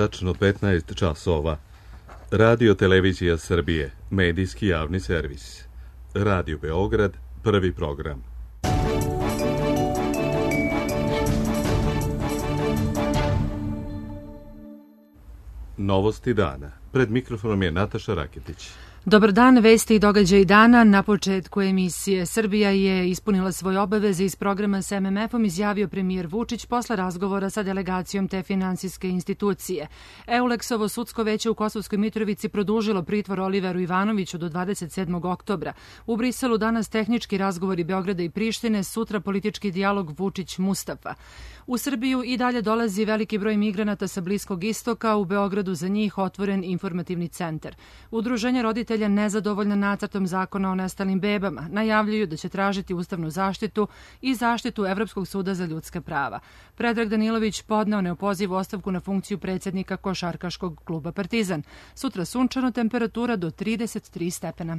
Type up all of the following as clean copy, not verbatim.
tačno 15 časova. Radio Televizija Srbije, medijski javni servis. Radio Beograd, prvi program. Novosti dana. Pred mikrofonom je Nataša Raketić. Dobar dan, vesti i događaj dana. Na početku emisije Srbija je ispunila svoje obaveze iz programa s MMF-om, izjavio premijer Vučić posle razgovora sa delegacijom te finansijske institucije. Euleksovo sudsko veće u Kosovskoj Mitrovici produžilo pritvor Oliveru Ivanoviću do 27. oktobra. U Briselu danas tehnički razgovori Beograda i Prištine, sutra politički dijalog Vučić-Mustafa. U Srbiju i dalje dolazi veliki broj migranata sa Bliskog istoka, u Beogradu za njih otvoren informativni centar. Udruženje roditelja nezadovoljna nacrtom zakona o nestalim bebama najavljuju da će tražiti ustavnu zaštitu i zaštitu Evropskog suda za ljudska prava. Predrag Danilović podneo neopozivu ostavku na funkciju predsjednika košarkaškog kluba Partizan. Sutra sunčano, temperatura do 33 stepena.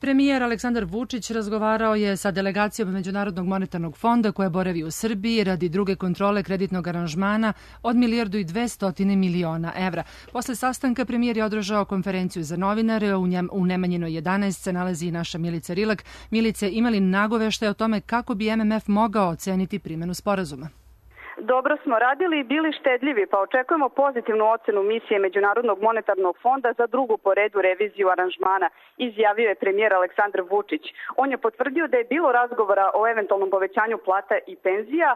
Premijer Aleksandar Vučić razgovarao je sa delegacijom Međunarodnog monetarnog fonda koja boravi u Srbiji radi druge kontrole kreditnog aranžmana od 1,2 milijarde evra. Posle sastanka premijer je održao konferenciju za novinare, u Nemanjinoj 11 se nalazi i naša Milica Rilak. Milice, imali nagoveštaje o tome kako bi MMF mogao oceniti primjenu sporazuma? Dobro smo radili i bili štedljivi, pa očekujemo pozitivnu ocenu misije Međunarodnog monetarnog fonda za drugu po redu reviziju aranžmana, izjavio je premijer Aleksandar Vučić. On je potvrdio da je bilo razgovora o eventualnom povećanju plata i penzija,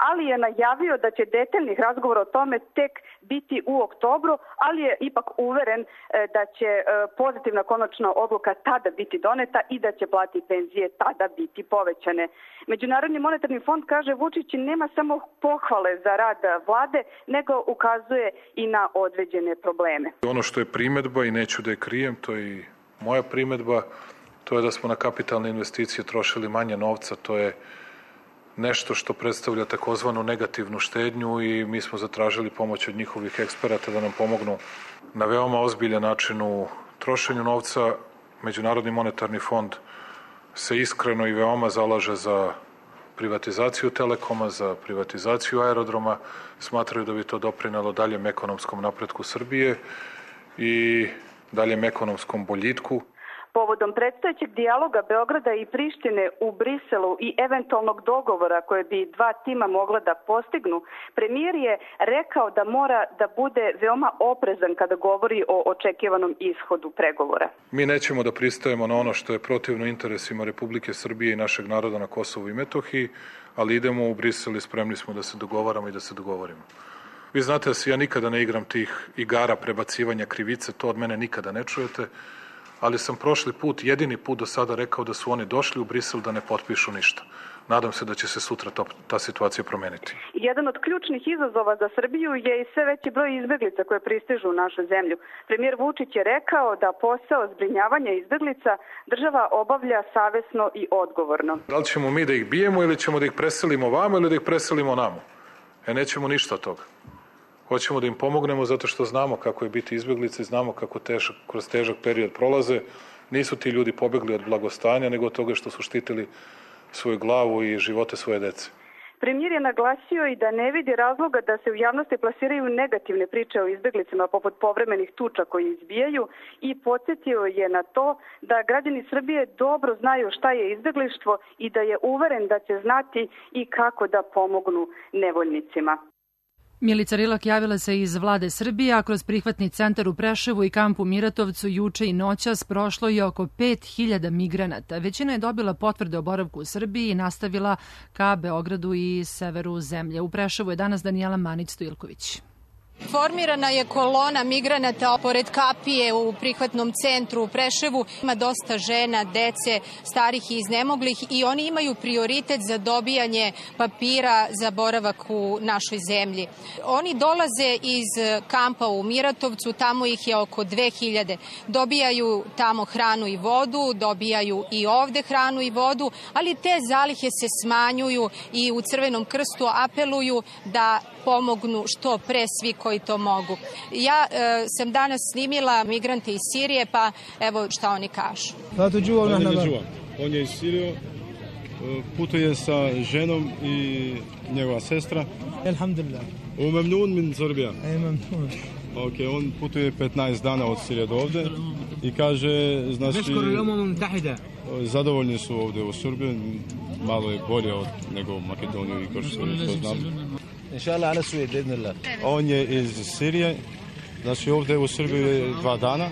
ali je najavio da će detaljnih razgovora o tome tek biti u oktobru, ali je ipak uveren da će pozitivna konačna odluka tada biti doneta i da će plate i penzije tada biti povećane. Međunarodni monetarni fond, kaže Vučić, nema samo pohvale za rad vlade, nego ukazuje i na određene probleme. Ono što je primedba, i neću da je krijem, to je i moja primedba, to je da smo na kapitalne investicije trošili manje novca, to je nešto što predstavlja takozvanu negativnu štednju i mi smo zatražili pomoć od njihovih eksperata da nam pomognu na veoma ozbiljan način u trošenju novca. Međunarodni monetarni fond se iskreno i veoma zalaže za privatizaciju Telekoma, za privatizaciju aerodroma, smatraju da bi to doprinelo daljem ekonomskom napretku Srbije i daljem ekonomskom boljitku. Povodom predstojećeg dijaloga Beograda i Prištine u Briselu i eventualnog dogovora koje bi dva tima mogla da postignu, premijer je rekao da mora da bude veoma oprezan kada govori o očekivanom ishodu pregovora. Mi nećemo da pristajemo na ono što je protivno interesima Republike Srbije i našeg naroda na Kosovu i Metohiji, ali idemo u Brisel i spremni smo da se dogovaramo i da se dogovorimo. Vi znate da se ja nikada ne igram tih igara prebacivanja krivice, to od mene nikada ne čujete, ali sam prošli put, jedini put do sada rekao da su oni došli u Brisel da ne potpišu ništa. Nadam se da će se sutra ta situacija promeniti. Jedan od ključnih izazova za Srbiju je i sve veći broj izbeglica koje pristižu u našu zemlju. Premijer Vučić je rekao da posao zbrinjavanja izbeglica država obavlja savesno i odgovorno. Da li ćemo mi da ih bijemo ili ćemo da ih preselimo vamo ili da ih preselimo namo? Nećemo ništa od toga. Hoćemo da im pomognemo zato što znamo kako je biti izbeglica i znamo kako kroz težak period prolaze. Nisu ti ljudi pobegli od blagostanja, nego od toga što su štitili svoju glavu i živote svoje dece. Premijer je naglasio i da ne vidi razloga da se u javnosti plasiraju negativne priče o izbeglicama poput povremenih tuča koji izbijaju i podsjetio je na to da građani Srbije dobro znaju šta je izbeglištvo i da je uveren da će znati i kako da pomognu nevoljnicima. Milica Rilak javila se iz vlade Srbije, a kroz prihvatni centar u Preševu i kamp u Miratovcu juče i noćas prošlo je oko 5.000 migranata. Većina je dobila potvrde o boravku u Srbiji i nastavila ka Beogradu i severu zemlje. U Preševu je danas Danijela Manić-Stojilković. Formirana je kolona migranata pored kapije u prihvatnom centru u Preševu. Ima dosta žena, dece, starih i iznemoglih i oni imaju prioritet za dobijanje papira za boravak u našoj zemlji. Oni dolaze iz kampa u Miratovcu, tamo ih je oko 2000. Dobijaju tamo hranu i vodu, dobijaju i ovde hranu i vodu, ali te zalihe se smanjuju i u Crvenom krstu apeluju da pomognu što pre svi koji to mogu. Ja sam danas snimila migrante iz Sirije, pa evo šta oni kažu. On je iz Sirije, putuje sa ženom i njegova sestra. Alhamdulillah. Memnun min Srbija. Memnun. Ok, on putuje 15 dana od Sirije do ovde i kaže, znači, zadovoljni su ovde u Srbiji, malo je bolje nego u Makedoniju i Kosovo, što znam. Inshallah, ala Sued, idnillah. On je iz Sirije, znači ovde u Srbiji 2 dana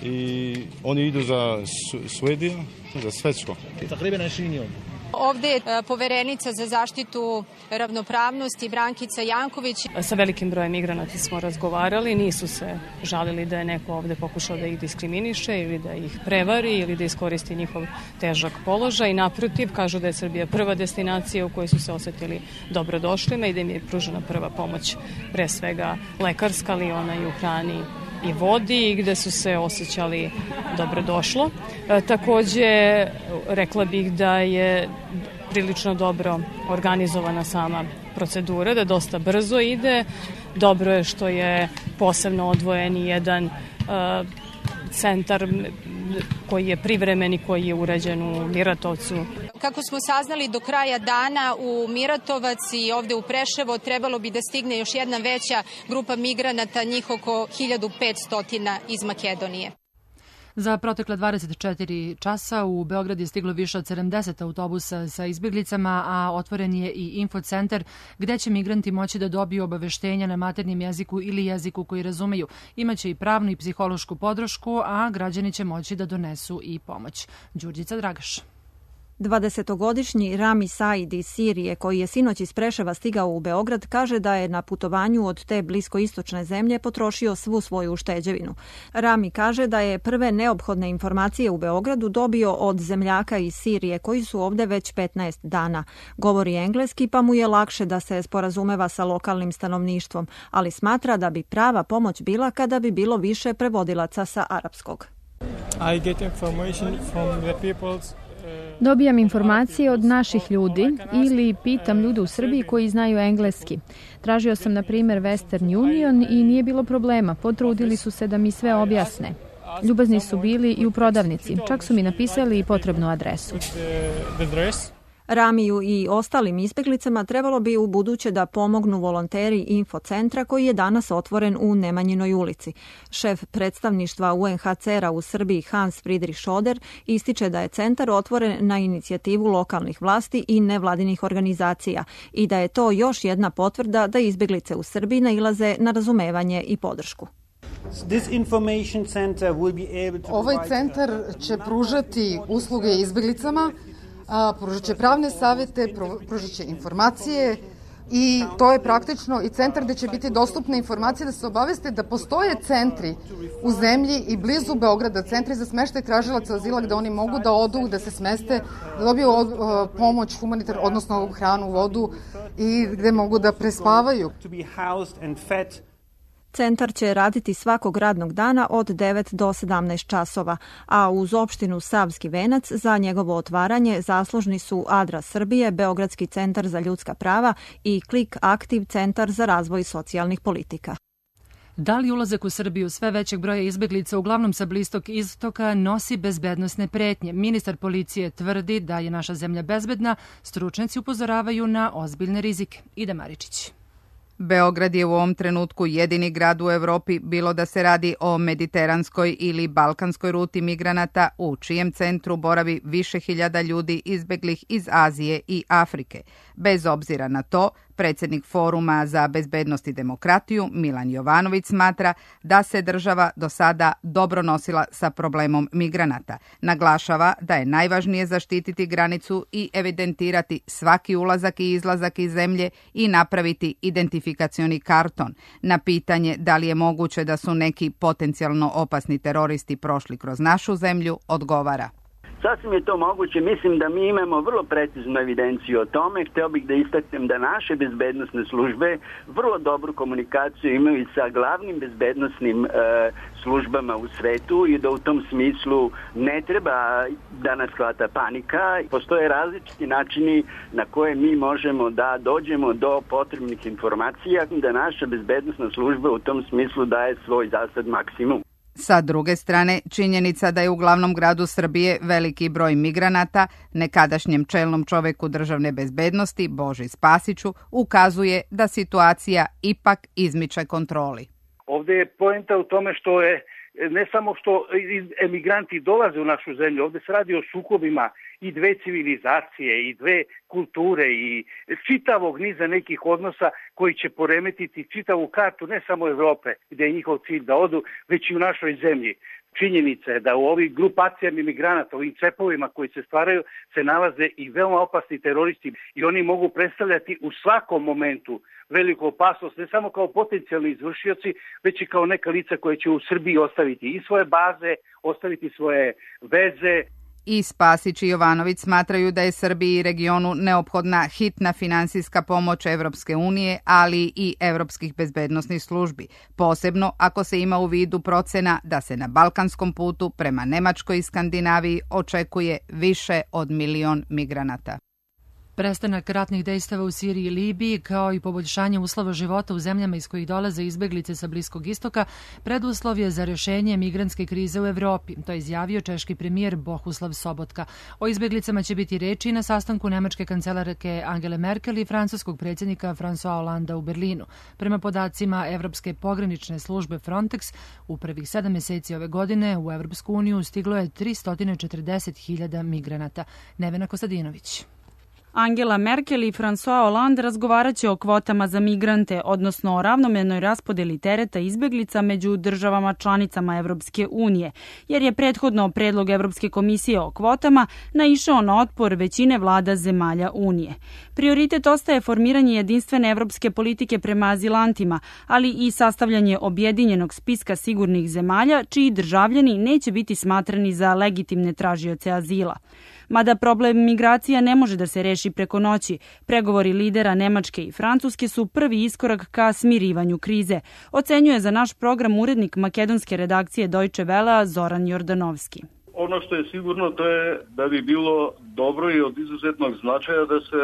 i oni idu za Suediju, za Svetsko. Takriban 20 jom. Ovde je poverenica za zaštitu ravnopravnosti Brankica Janković. Sa velikim brojem migranata smo razgovarali, nisu se žalili da je neko ovde pokušao da ih diskriminiše ili da ih prevari ili da iskoristi njihov težak položaj. Naprotiv, kažu da je Srbija prva destinacija u kojoj su se osetili dobrodošlima i da im je pružena prva pomoć, pre svega lekarska, ali ona i u hrani i vodi i gde su se osjećali dobrodošlo. Takođe, rekla bih da je prilično dobro organizovana sama procedura, da dosta brzo ide. Dobro je što je posebno odvojen i jedan centar koji je privremen i koji je urađen u Miratovcu. Kako smo saznali, do kraja dana u Miratovac i ovde u Preševo trebalo bi da stigne još jedna veća grupa migranata, njih oko 1500 iz Makedonije. Za protekle 24 časa u Beograd je stiglo više od 70 autobusa sa izbjeglicama, a otvoren je i infocentar gde će migranti moći da dobiju obaveštenja na maternjem jeziku ili jeziku koji razumeju. Imaće i pravnu i psihološku podršku, a građani će moći da donesu i pomoć. Đurđica Dragaš. 20-godišnji Rami Said iz Sirije, koji je sinoć iz Preševa stigao u Beograd, kaže da je na putovanju od te bliskoistočne zemlje potrošio svu svoju ušteđevinu. Rami kaže da je prve neophodne informacije u Beogradu dobio od zemljaka iz Sirije, koji su ovde već 15 dana. Govori engleski, pa mu je lakše da se sporazumeva sa lokalnim stanovništvom, ali smatra da bi prava pomoć bila kada bi bilo više prevodilaca sa arapskog. I get information from the people's. Dobijam informacije od naših ljudi ili pitam ljude u Srbiji koji znaju engleski. Tražio sam, na primjer, Western Union i nije bilo problema. Potrudili su se da mi sve objasne. Ljubazni su bili i u prodavnici. Čak su mi napisali i potrebnu adresu. Ramiju i ostalim izbjeglicama trebalo bi u buduće da pomognu volonteri infocentra koji je danas otvoren u Nemanjinoj ulici. Šef predstavništva UNHCR-a u Srbiji Hans Friedrich Schoder ističe da je centar otvoren na inicijativu lokalnih vlasti i nevladinih organizacija i da je to još jedna potvrda da izbjeglice u Srbiji nailaze na razumevanje i podršku. Ovaj centar će pružati usluge izbjeglicama, pružat će pravne savjete, pružat će informacije i to je praktično i centar gde će biti dostupne informacije da se obaveste da postoje centri u zemlji i blizu Beograda, centri za smeštaj tražilaca azila gde oni mogu da odu, da se smeste, da dobiju pomoć humanitarnu, odnosno hranu, vodu i gde mogu da prespavaju. Centar će raditi svakog radnog dana od 9 do 17 časova, a uz opštinu Savski Venac za njegovo otvaranje zaslužni su Adra Srbije, Beogradski centar za ljudska prava i Klik Aktiv, centar za razvoj socijalnih politika. Da li ulazak u Srbiju sve većeg broja izbjeglica, uglavnom sa Bliskog istoka, nosi bezbednosne pretnje? Ministar policije tvrdi da je naša zemlja bezbedna, stručnjaci upozoravaju na ozbiljne rizike. Ida Maričić. Beograd je u ovom trenutku jedini grad u Evropi, bilo da se radi o mediteranskoj ili balkanskoj ruti migranata, u čijem centru boravi više hiljada ljudi izbeglih iz Azije i Afrike. Bez obzira na to, predsjednik Foruma za bezbednost i demokratiju Milan Jovanović smatra da se država do sada dobro nosila sa problemom migranata. Naglašava da je najvažnije zaštititi granicu i evidentirati svaki ulazak i izlazak iz zemlje i napraviti identifikacioni karton. Na pitanje da li je moguće da su neki potencijalno opasni teroristi prošli kroz našu zemlju, odgovara. Sasvim je to moguće. Mislim da mi imamo vrlo preciznu evidenciju o tome. Hteo bih da istaknem da naše bezbednosne službe vrlo dobru komunikaciju imaju sa glavnim bezbednosnim službama u svetu i da u tom smislu ne treba da nas hvata panika. Postoje različiti načini na koje mi možemo da dođemo do potrebnih informacija, da naša bezbednosna služba u tom smislu daje svoj zasad maksimum. Sa druge strane, činjenica da je u glavnom gradu Srbije veliki broj migranata, nekadašnjem čelnom čoveku državne bezbednosti, Boži Spasiću, ukazuje da situacija ipak izmiče kontroli. Ovde je poenta u tome što je ne samo što emigranti dolaze u našu zemlju, ovde se radi o sukobima i dve civilizacije i dve kulture i čitavog niza nekih odnosa koji će poremetiti čitavu kartu ne samo Evrope gde je njihov cilj da odu, već i u našoj zemlji. Činjenica je da u ovih grupacijama imigranata, ovim cepovima koji se stvaraju, se nalaze i veoma opasni teroristi i oni mogu predstavljati u svakom momentu veliku opasnost, ne samo kao potencijalni izvršioci, već i kao neka lica koje će u Srbiji ostaviti i svoje baze, ostaviti svoje veze. I Spasić i Jovanović smatraju da je Srbiji i regionu neophodna hitna finansijska pomoć Evropske unije, ali i evropskih bezbednosnih službi, posebno ako se ima u vidu procena da se na balkanskom putu prema Nemačkoj i Skandinaviji očekuje više od 1 milion migranata. Prestanak ratnih dejstava u Siriji i Libiji, kao i poboljšanje uslova života u zemljama iz kojih dolaze izbeglice sa Bliskog istoka, preduslov je za rešenje migrantske krize u Evropi. To je izjavio češki premijer Bohuslav Sobotka. O izbeglicama će biti reči na sastanku nemačke kancelarke Angele Merkel i francuskog predsjednika François Hollanda u Berlinu. Prema podacima Evropske pogranične službe Frontex, u prvih 7 meseci ove godine u Evropsku uniju stiglo je 340.000 migranata. Nevena Kostadinović. Angela Merkel i François Hollande razgovarat će o kvotama za migrante, odnosno o ravnomernoj raspodeli tereta izbeglica među državama članicama Evropske unije, jer je prethodno predlog Evropske komisije o kvotama naišao na otpor većine vlada zemalja Unije. Prioritet ostaje formiranje jedinstvene evropske politike prema azilantima, ali i sastavljanje objedinjenog spiska sigurnih zemalja, čiji državljani neće biti smatrani za legitimne tražioce azila. Mada problem migracija ne može da se reši preko noći, pregovori lidera Nemačke i Francuske su prvi iskorak ka smirivanju krize, ocenjuje za naš program urednik makedonske redakcije Deutsche Wellea Zoran Jordanovski. Ono što je sigurno to je da bi bilo dobro i od izuzetnog značaja da se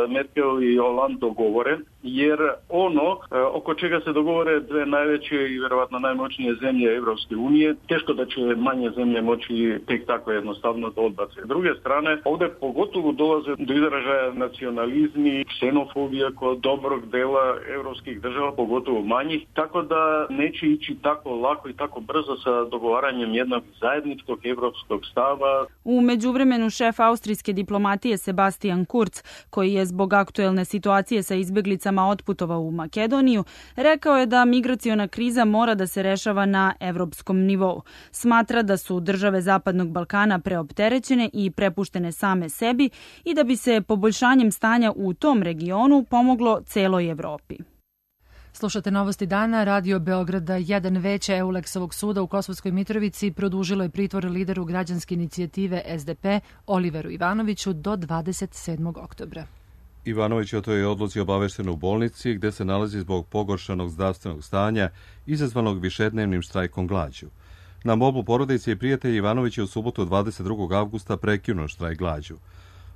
Merkel i Hollande dogovore, jer ono oko čega se dogovore dve najveće i verovatno najmoćnije zemlje Evropske unije, teško da će manje zemlje moći tek tako jednostavno da odbace. S druge strane, ovde pogotovo dolaze do izražaja nacionalizmi, ksenofobija kod dobrog dela evropskih država, pogotovo manjih, tako da neće ići tako lako i tako brzo sa dogovaranjem jednog zajedničkog evropskog stava. U međuvremenu šef austrijske diplomatije Sebastian Kurz, koji je zbog aktuelne situacije sa izbeglicama otputovao u Makedoniju, rekao je da migraciona kriza mora da se rešava na evropskom nivou. Smatra da su države Zapadnog Balkana preopterećene i prepuštene same sebi i da bi se poboljšanjem stanja u tom regionu pomoglo celoj Evropi. Slušate novosti dana. Radio Beograda 1 veće Euleksovog suda u Kosovskoj Mitrovici produžilo je pritvor lideru građanske inicijative SDP Oliveru Ivanoviću do 27. oktobra. Ivanović je o toj odluci obavešten u bolnici gde se nalazi zbog pogoršanog zdravstvenog stanja izazvanog višednevnim štrajkom glađu. Na molbu porodice i prijatelji Ivanović je u subotu 22. avgusta prekinuo štrajk glađu.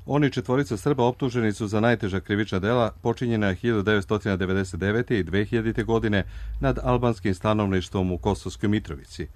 Oni četvorica Srba optuženi su za najteža krivična dela počinjena 1999. i 2000. godine nad albanskim stanovništvom u Kosovskoj Mitrovici.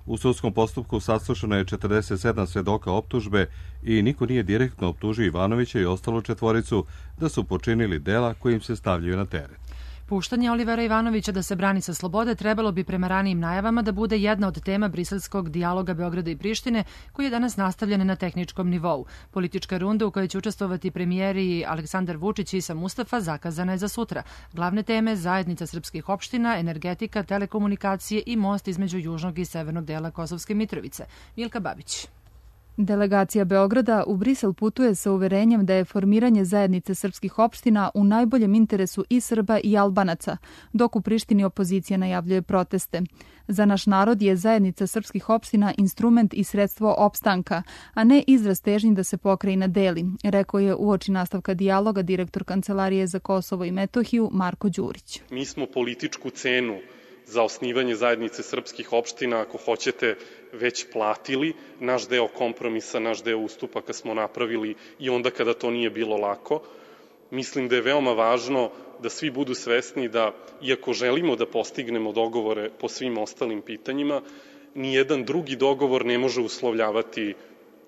U sudskom postupku saslušano je 47 svedoka optužbe i niko nije direktno optužio Ivanovića i ostalu četvoricu da su počinili dela kojim se stavljaju na teret. Puštanje Olivera Ivanovića da se brani sa slobode trebalo bi prema ranijim najavama da bude jedna od tema briselskog dijaloga Beograda i Prištine, koji je danas nastavljen na tehničkom nivou. Politička runda u kojoj će učestvovati premijeri Aleksandar Vučić i Isa Mustafa zakazana je za sutra. Glavne teme zajednica srpskih opština, energetika, telekomunikacije i most između južnog i severnog dela Kosovske Mitrovice. Milka Babić. Delegacija Beograda u Brisel putuje sa uverenjem da je formiranje zajednice srpskih opština u najboljem interesu i Srba i Albanaca, dok u Prištini opozicija najavljuje proteste. Za naš narod je zajednica srpskih opština instrument i sredstvo opstanka, a ne izraz težnji da se pokrajina deli, rekao je uoči nastavka dijaloga direktor Kancelarije za Kosovo i Metohiju Marko Đurić. Mi smo političku cenu za osnivanje zajednice srpskih opština, ako hoćete, već platili. Naš deo kompromisa, naš deo ustupaka smo napravili i onda kada to nije bilo lako. Mislim da je veoma važno da svi budu svesni da, iako želimo da postignemo dogovore po svim ostalim pitanjima, nijedan drugi dogovor ne može uslovljavati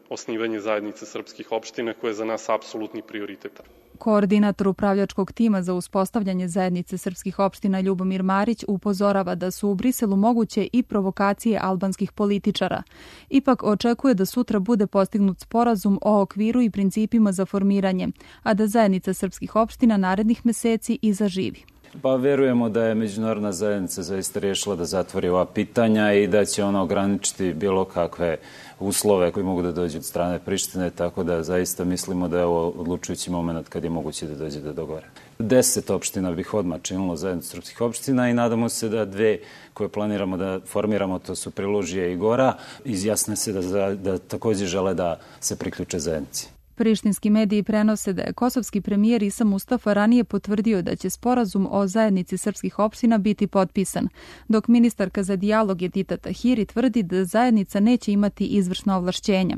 osnivanje zajednice srpskih opština, koje je za nas apsolutni prioritet. Koordinator upravljačkog tima za uspostavljanje zajednice srpskih opština Ljubomir Marić upozorava da su u Briselu moguće i provokacije albanskih političara. Ipak očekuje da sutra bude postignut sporazum o okviru i principima za formiranje, a da zajednica srpskih opština narednih meseci i zaživi. Pa verujemo da je međunarodna zajednica zaista rješila da zatvori ova pitanja i da će ona ograničiti bilo kakve uslove koji mogu da dođu od strane Prištine, tako da zaista mislimo da je ovo odlučujući moment kad je moguće da dođe do dogovora. 10 opština bih odmah činilo zajednicu srpskih opština i nadamo se da 2 koje planiramo da formiramo, to su Prelužije i Gora, izjasne se da također žele da se priključe zajednici. Prištinski mediji prenose da je kosovski premijer Isa Mustafa ranije potvrdio da će sporazum o zajednici srpskih opština biti potpisan, dok ministarka za dijalog Edita Tahiri tvrdi da zajednica neće imati izvršna ovlašćenja.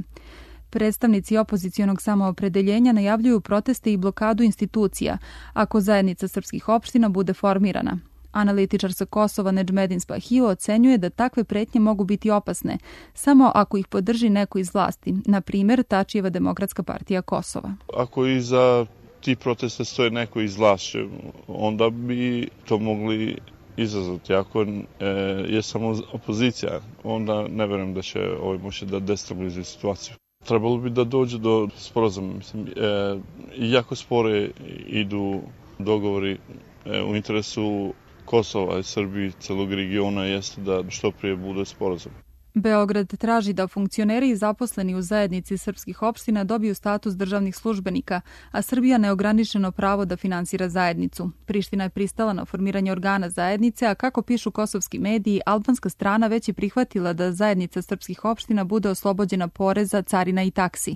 Predstavnici opozicionog samoopredeljenja najavljuju proteste i blokadu institucija ako zajednica srpskih opština bude formirana. Analitičar sa Kosova Nedžmedin Spahio ocenjuje da takve pretnje mogu biti opasne samo ako ih podrži neko iz vlasti, na primjer Tačijeva Demokratska partija Kosova. Ako iza ti protesta stoje neko iz vlasti, onda bi to mogli izazvati. Ako je samo opozicija, onda ne verujem da će moći da destabilizuje situaciju. Trebalo bi da dođe do sporazuma. Jako spore idu dogovori u interesu Kosova i Srbije, celog regiona, jeste da što prije bude sporazum. Beograd traži da funkcioneri zaposleni u zajednici srpskih opština dobiju status državnih službenika, a Srbija neograničeno pravo da finansira zajednicu. Priština je pristala na formiranje organa zajednice, a kako pišu kosovski mediji, albanska strana već je prihvatila da zajednica srpskih opština bude oslobođena poreza, carina i taksi.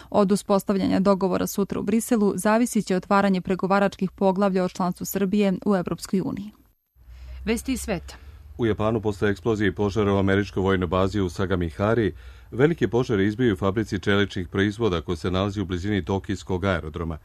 Od uspostavljanja dogovora sutra u Briselu zavisit će otvaranje pregovaračkih poglavlja o članstvu Srbije u Evropskoj uniji. Vesti iz sveta. U Japanu posle eksplozije i požara u američkoj vojnoj bazi u Sagamihari, velike požare izbiju u fabrici čeličnih proizvoda koja se nalazi u blizini Tokijskog aerodroma.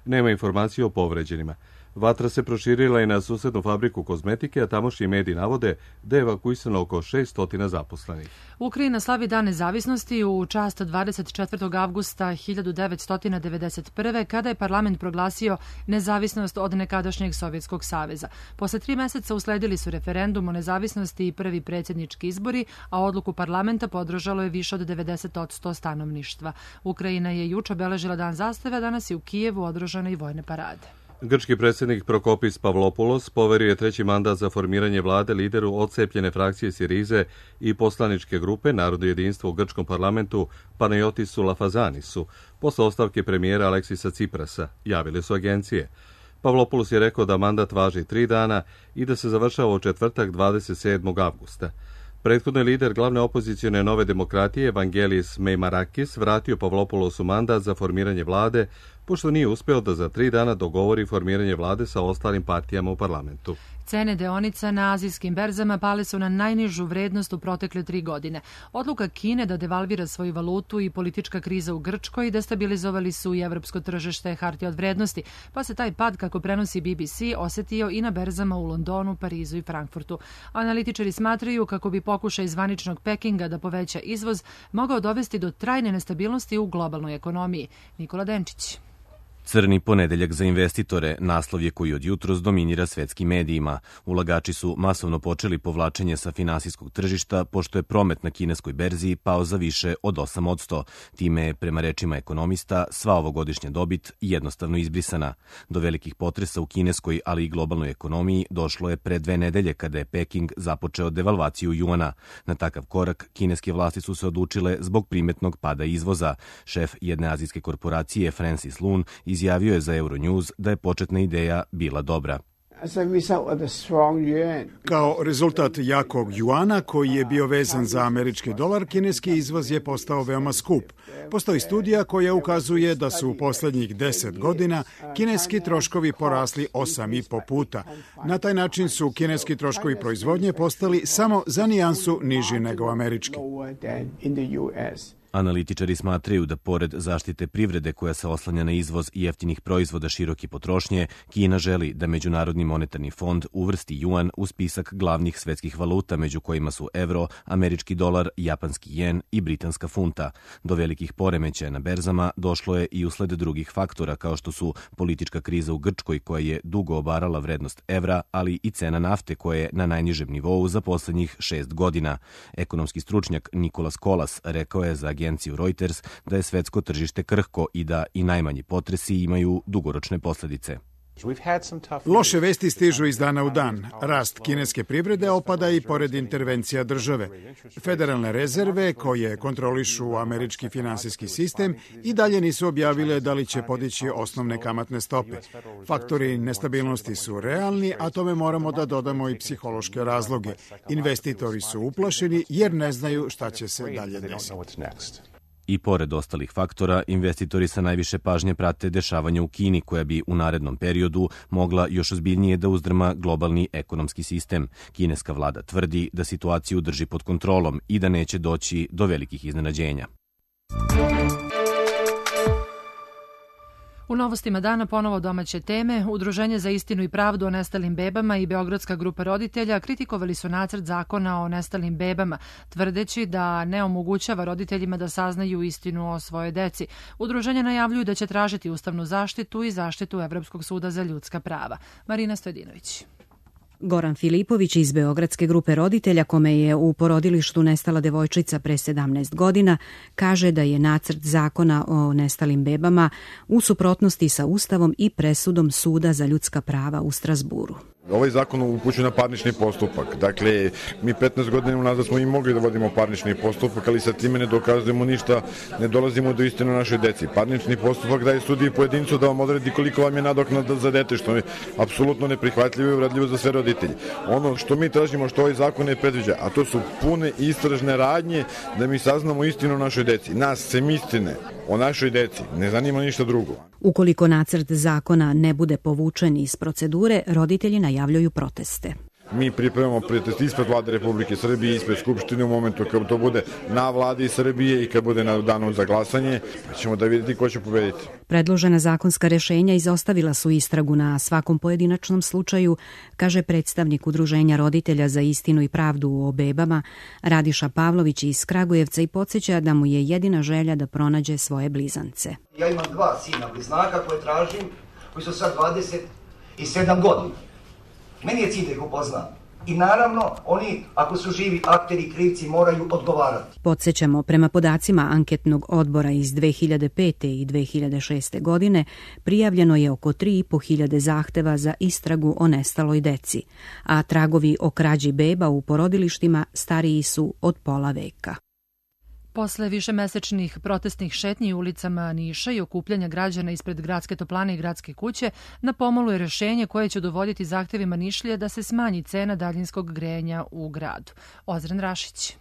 Nema informacije o povređenima. Vatra se proširila i na susednu fabriku kozmetike, a tamošnji mediji navode da je evakuisano oko 600 zaposlenih. Ukrajina slavi Dan nezavisnosti u čast 24. avgusta 1991. kada je parlament proglasio nezavisnost od nekadašnjeg Sovjetskog saveza. Posle 3 meseca usledili su referendum o nezavisnosti i prvi predsjednički izbori, a odluku parlamenta podržalo je više od 90% stanovništva. Ukrajina je juče obeležila Dan zastave, danas je u Kijevu održane i vojne parade. Grčki predsjednik Prokopis Pavlopoulos poverio je 3. mandat za formiranje vlade lideru odcepljene frakcije Sirize i poslaničke grupe Narodno jedinstvo u grčkom parlamentu Panayotisu Lafazanisu posle ostavke premijera Aleksisa Ciprasa, javile su agencije. Pavlopoulos je rekao da mandat važi 3 dana i da se završava u četvrtak 27. avgusta. Prethodni lider glavne opozicione Nove demokratije Vangelis Meimarakis vratio Pavlopoulosu mandat za formiranje vlade, pošto nije uspeo da za 3 dana dogovori formiranje vlade sa ostalim partijama u parlamentu. Cene deonica na azijskim berzama pale su na najnižu vrednost u protekle 3 godine. Odluka Kine da devalvira svoju valutu i politička kriza u Grčkoj destabilizovali su i evropsko tržište hartija od vrednosti, pa se taj pad, kako prenosi BBC, osetio i na berzama u Londonu, Parizu i Frankfurtu. Analitičari smatraju kako bi pokušaj zvaničnog Pekinga da poveća izvoz mogao dovesti do trajne nestabilnosti u globalnoj ekonomiji. Nikola Denčić. Crni ponedeljak za investitore, naslov je koji od jutros dominira svetskim medijima. Ulagači su masovno počeli povlačenje sa finansijskog tržišta, pošto je promet na kineskoj berzi pao za više od 8%. Time je, prema rečima ekonomista, sva ovogodišnja dobit jednostavno izbrisana. Do velikih potresa u kineskoj, ali i globalnoj ekonomiji došlo je pre 2 nedelje kada je Peking započeo devalvaciju juana. Na takav korak kineske vlasti su se odlučile zbog primetnog pada izvoza. Šef jedne azijske korporacije, Francis Lun, izjavio je za Euronews da je početna ideja bila dobra. Kao rezultat jakog juana koji je bio vezan za američki dolar, kineski izvoz je postao veoma skup. Postoji studija koja ukazuje da su u posljednjih 10 godina kineski troškovi porasli 8,5 puta. Na taj način su kineski troškovi proizvodnje postali samo za nijansu niži nego američki. Analitičari smatraju da pored zaštite privrede koja se oslanja na izvoz i jeftinih proizvoda široke potrošnje, Kina želi da Međunarodni monetarni fond uvrsti juan u spisak glavnih svetskih valuta, među kojima su evro, američki dolar, japanski jen i britanska funta. Do velikih poremećaja na berzama došlo je i usled drugih faktora, kao što su politička kriza u Grčkoj koja je dugo obarala vrednost evra, ali i cena nafte koja je na najnižem nivou za poslednjih 6 godina. Ekonomski stručnjak Nikolas Kolas rekao je za agenciju Reuters da je svetsko tržište krhko i da i najmanji potresi imaju dugoročne posledice. Loše vesti stižu iz dana u dan. Rast kineske privrede opada i pored intervencija države. Federalne rezerve, koje kontrolišu američki finansijski sistem, i dalje nisu objavile da li će podići osnovne kamatne stope. Faktori nestabilnosti su realni, a tome moramo da dodamo i psihološke razloge. Investitori su uplašeni jer ne znaju šta će se dalje desiti. I pored ostalih faktora, investitori sa najviše pažnje prate dešavanja u Kini, koja bi u narednom periodu mogla još ozbiljnije da uzdrma globalni ekonomski sistem. Kineska vlada tvrdi da situaciju drži pod kontrolom i da neće doći do velikih iznenađenja. U novostima dana ponovo domaće teme. Udruženje za istinu i pravdu o nestalim bebama i Beogradska grupa roditelja kritikovali su nacrt zakona o nestalim bebama, tvrdeći da ne omogućava roditeljima da saznaju istinu o svojoj deci. Udruženja najavljuju da će tražiti ustavnu zaštitu i zaštitu Evropskog suda za ljudska prava. Marina Stojadinović. Goran Filipović iz Beogradske grupe roditelja, kome je u porodilištu nestala devojčica pre 17 godina, kaže da je nacrt zakona o nestalim bebama u suprotnosti sa Ustavom i presudom Suda za ljudska prava u Strazburu. Ovaj zakon upućuje na parnični postupak. Dakle, mi 15 godina unazad smo i mogli da vodimo parnični postupak, ali sa time ne dokazujemo ništa, ne dolazimo do istine našoj deci. Parnični postupak daje sudiji pojedincu da vam odredi koliko vam je nadoknada za dete, što je apsolutno neprihvatljivo i uvredljivo za sve roditelje. Ono što mi tražimo, što ovaj zakon ne predviđa, a to su pune istražne radnje da mi saznamo istinu o našoj deci. Nas sem istine o našoj deci ne zanima ništa drugo. Ukoliko nacrt zakona ne bude povučen iz procedure, roditelji najavljuju proteste. Mi pripremamo protest ispred Vlade Republike Srbije, ispred Skupštine u momentu kad to bude na Vladi Srbije i kad bude na danu za glasanje, pa ćemo da vidjeti ko će pobediti. Predložena zakonska rešenja izostavila su istragu na svakom pojedinačnom slučaju, kaže predstavnik Udruženja roditelja za istinu i pravdu o bebama Radiša Pavlović iz Kragujevca i podsjeća da mu je jedina želja da pronađe svoje blizance. Ja imam 2 sina bliznaka koje tražim, koji su sad 27 godina. Meni je cilj da ih upoznam. I naravno, oni, ako su živi akteri i krivci, moraju odgovarati. Podsjećamo, prema podacima anketnog odbora iz 2005. i 2006. godine, prijavljeno je oko 3.500 zahteva za istragu o nestaloj deci, a tragovi o krađi beba u porodilištima stariji su od pola veka. Posle višemesečnih protestnih šetnji ulicama Niša i okupljanja građana ispred gradske toplane i gradske kuće, na pomolu je rešenje koje će dovoditi zahtevima Nišlija da se smanji cena daljinskog grejanja u gradu. Ozren Rašić.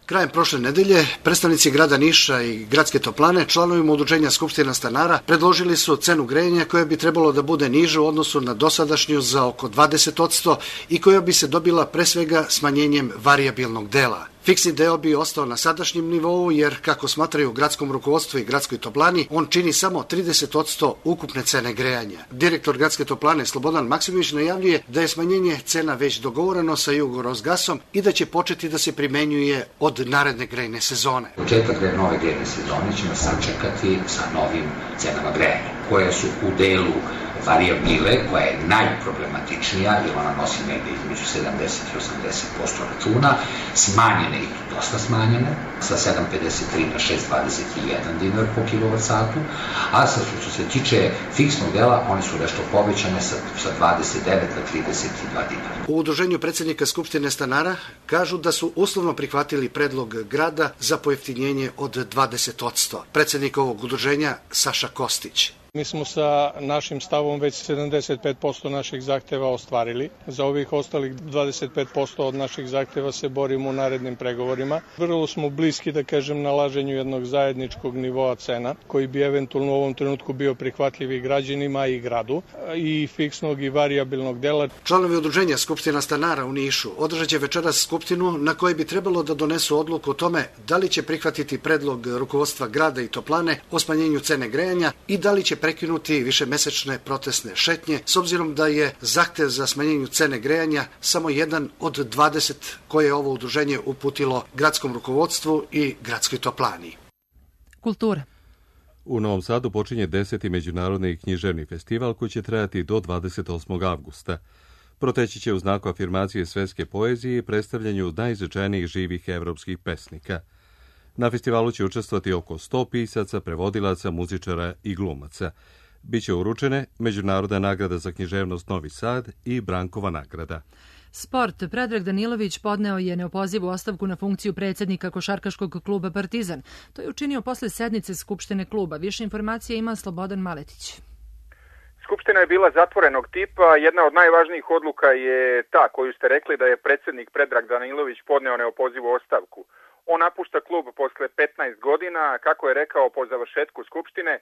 Krajem prošle nedelje predstavnici grada Niša i gradske toplane članovima udruženja Skupština stanara predložili su cenu grejanja koja bi trebalo da bude niža u odnosu na dosadašnju za oko 20% i koja bi se dobila pre svega smanjenjem varijabilnog dela. Fiksni deo bi ostao na sadašnjem nivou jer, kako smatraju u gradskom rukovodstvu i gradskoj toplani, on čini samo 30% ukupne cene grejanja. Direktor gradske toplane Slobodan Maksimović najavljuje da je smanjenje cena već dogovoreno sa Jugorosgasom i da će početi da se primenjuje od naredne grejne sezone. Početak nove grejne sezone ćemo sačekati sa novim cenama grejanja, koje su u delu varijabile, koja je najproblematičnija jer ona nosi negde između 70 i 80% računa, smanjene i to dosta smanjene, sa 7,53 na 6,21 dinar po kilovat-satu, a što se tiče fiksnog dela, one su nešto povećane sa 29 na 32 dinara. U udruženju predsjednika Skupštine stanara kažu da su uslovno prihvatili predlog grada za pojeftinjenje od 20%. Predsjednik ovog udruženja Saša Kostić. Mi smo sa našim stavom već 75% naših zahteva ostvarili. Za ovih ostalih 25% od naših zahteva se borimo u narednim pregovorima. Vrlo smo blizu bliski, da kažem, nalaženju jednog zajedničkog nivoa cena, koji bi eventualno u ovom trenutku bio prihvatljiv i građanima i gradu, i fiksnog i variabilnog dela. Članovi udruženja Skupština stanara u Nišu održat će večeras skupštinu na kojoj bi trebalo da donesu odluku o tome da li će prihvatiti predlog rukovodstva grada i toplane o smanjenju cene grejanja i da li će prekinuti višemesečne protestne šetnje, s obzirom da je zahtev za smanjenju cene grejanja samo jedan od 20 koje je ovo udruženje uputilo gradskom rukovodstvu i gradskoj toplani. Kultura. U Novom Sadu počinje 10. međunarodni književni festival koji će trajati do 28. avgusta. Proteći će u znaku afirmacije svetske poezije i predstavljanju najznačajnijih živih evropskih pesnika. Na festivalu će učestvovati oko 100 pisaca, prevodilaca, muzičara i glumaca. Biće uručene Međunarodna nagrada za književnost Novi Sad i Brankova nagrada. Sport. Predrag Danilović podneo je neopozivu ostavku na funkciju predsjednika košarkaškog kluba Partizan. To je učinio posle sednice Skupštine kluba. Više informacija ima Slobodan Maletić. Skupština je bila zatvorenog tipa. Jedna od najvažnijih odluka je ta koju ste rekli, da je predsjednik Predrag Danilović podneo neopozivu ostavku. On napušta klub posle 15 godina, kako je rekao po završetku Skupštine.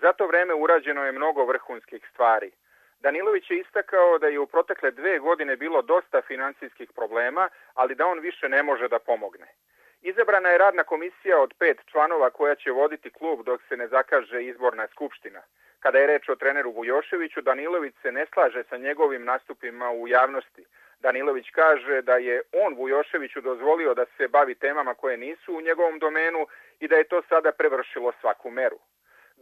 Za to vreme urađeno je mnogo vrhunskih stvari. Danilović je istakao da je u protekle 2 godine bilo dosta financijskih problema, ali da on više ne može da pomogne. Izabrana je radna komisija od 5 članova koja će voditi klub dok se ne zakaže izborna skupština. Kada je reč o treneru Vujoševiću, Danilović se ne slaže sa njegovim nastupima u javnosti. Danilović kaže da je on Vujoševiću dozvolio da se bavi temama koje nisu u njegovom domenu i da je to sada prevršilo svaku meru.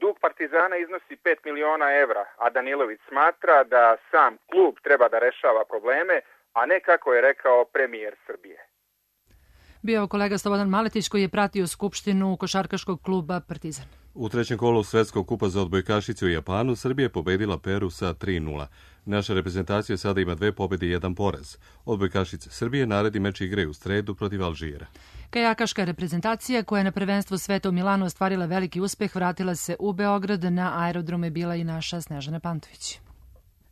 Dug Partizana iznosi 5 miliona evra, a Danilović smatra da sam klub treba da rešava probleme, a ne kako je rekao premijer Srbije. Bio kolega Slobodan Maletić koji je pratio skupštinu košarkaškog kluba Partizan. U trećem kolu Svetskog kupa za odbojkašice u Japanu Srbija je pobedila Peru sa 3:0. Naša reprezentacija sada ima 2 pobjede i 1 poraz. Odbojkašice Srbije naredni meč igraju u sredu protiv Alžira. Kajakaška reprezentacija koja je na prvenstvu sveta u Milanu ostvarila veliki uspeh vratila se u Beograd. Na aerodromu je bila i naša Snežana Pantović.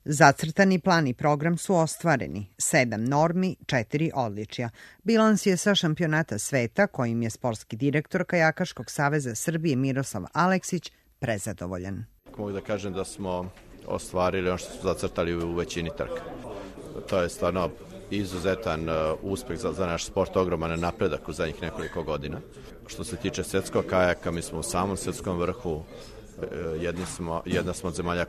Zacrtani plan i program su ostvareni, 7 normi, 4 odličja. Bilans je sa šampionata sveta, kojim je sportski direktor Kajakaškog saveza Srbije Miroslav Aleksić prezadovoljan. Mogu da kažem da smo ostvarili ono što su zacrtali u većini trka. To je stvarno izuzetan uspeh za naš sport, ogroman napredak u zadnjih nekoliko godina. Što se tiče svetskog kajaka, mi smo u samom svetskom vrhu. Jedna smo od zemalja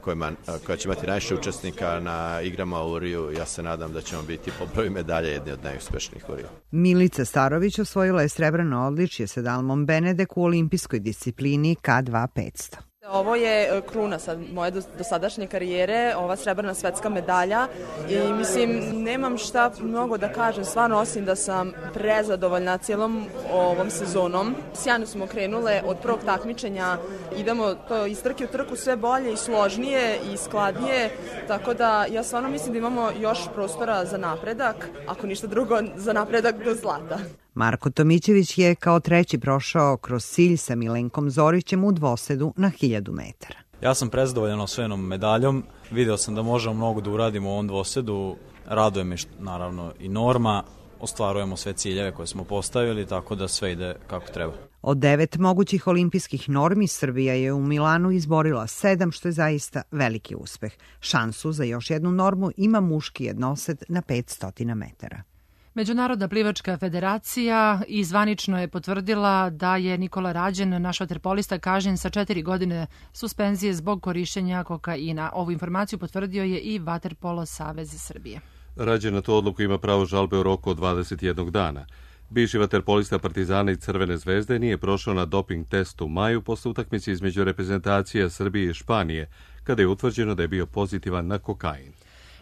koja će imati najviše učesnika na igrama u Riju. Ja se nadam da ćemo biti po broju medalja jedni od najuspešnijih u Riju. Milica Starović osvojila je srebrno odličje sa Dalmom Benedek u olimpijskoj disciplini K2 500. Ovo je kruna sad moje dosadašnje karijere, ova srebrna svetska medalja i mislim nemam šta mnogo da kažem, stvarno osim da sam prezadovoljna cijelom ovom sezonom. Sjajno smo krenule od prvog takmičenja, idemo to iz trke u trku sve bolje i složnije i skladnije, tako da ja stvarno mislim da imamo još prostora za napredak, ako ništa drugo za napredak do zlata. Marko Tomićević je kao treći prošao kroz cilj sa Milenkom Zorićem u dvosedu na 1000 metara. Ja sam prezadovoljan osvojenom medaljom, video sam da možemo mnogo da uradimo u ovom dvosedu, raduje me naravno i norma, ostvarujemo sve ciljeve koje smo postavili, tako da sve ide kako treba. Od 9 mogućih olimpijskih normi Srbija je u Milanu izborila 7, što je zaista veliki uspeh. Šansu za još jednu normu ima muški jednosed na 500 metara. Međunarodna plivačka federacija i zvanično je potvrdila da je Nikola Rađen, naš vaterpolista, kažnjen sa 4 godine suspenzije zbog korišćenja kokaina. Ovu informaciju potvrdio je i Vaterpolo savez Srbije. Rađen na to odluku ima pravo žalbe u roku od 21 dana. Bivši vaterpolista Partizana i Crvene zvezde nije prošao na doping testu u maju posle utakmice između reprezentacija Srbije i Španije, kada je utvrđeno da je bio pozitivan na kokain.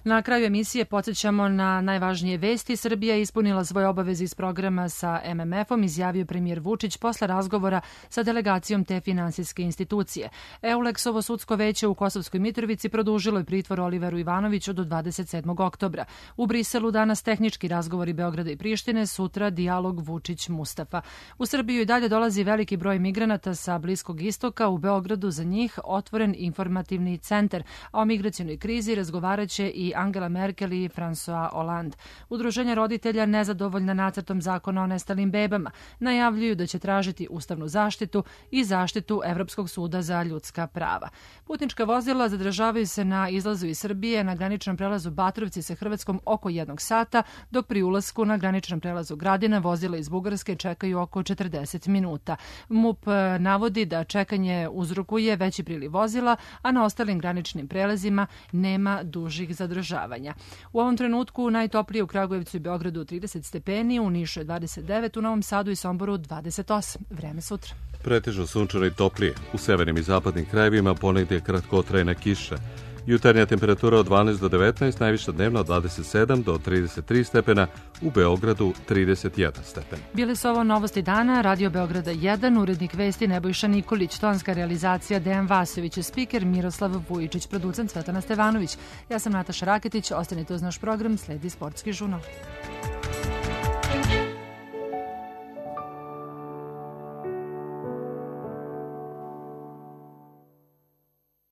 Na kraju emisije podsjećamo na najvažnije vesti. Srbija je ispunila svoje obaveze iz programa sa MMF-om, izjavio premijer Vučić posle razgovora sa delegacijom te finansijske institucije. Euleksovo sudsko veće u Kosovskoj Mitrovici produžilo je pritvor Oliveru Ivanoviću do 27. oktobra. U Briselu danas tehnički razgovori Beograda i Prištine, sutra dijalog Vučić-Mustafa. U Srbiju i dalje dolazi veliki broj migranata sa Bliskog istoka. U Beogradu za njih otvoren informativni centar, a o migracionoj krizi razgovaraće i Angela Merkel i François Hollande. Udruženja roditelja nezadovoljna nacrtom zakona o nestalim bebama najavljuju da će tražiti ustavnu zaštitu i zaštitu Evropskog suda za ljudska prava. Putnička vozila zadržavaju se na izlazu iz Srbije na graničnom prelazu Batrovci sa Hrvatskom oko 1 sata, dok pri ulasku na graničnom prelazu Gradina vozila iz Bugarske čekaju oko 40 minuta. MUP navodi da čekanje uzrokuje veći priliv vozila, a na ostalim graničnim prelazima nema dužih zadržavanja. U ovom trenutku najtoplije u Kragujevcu i Beogradu 30 stepeni, u Nišu je 29, u Novom Sadu i Somboru 28. Vreme sutra. Pretežno sunčano i toplije. U severnim i zapadnim krajevima ponegdje kratkotrajna kiša. Jutarnja temperatura od 12 do 19, najviša dnevna od 27 do 33 stepena, u Beogradu 31 stepen. Bile su ovo novosti dana, Radio Beograda 1, urednik vesti Nebojša Nikolić, tonska realizacija Dejan Vasović, spiker Miroslav Vujičić, producent Svetlana Stevanović. Ja sam Nataša Raketić, ostanite uz naš program, sledi Sportski žurnal.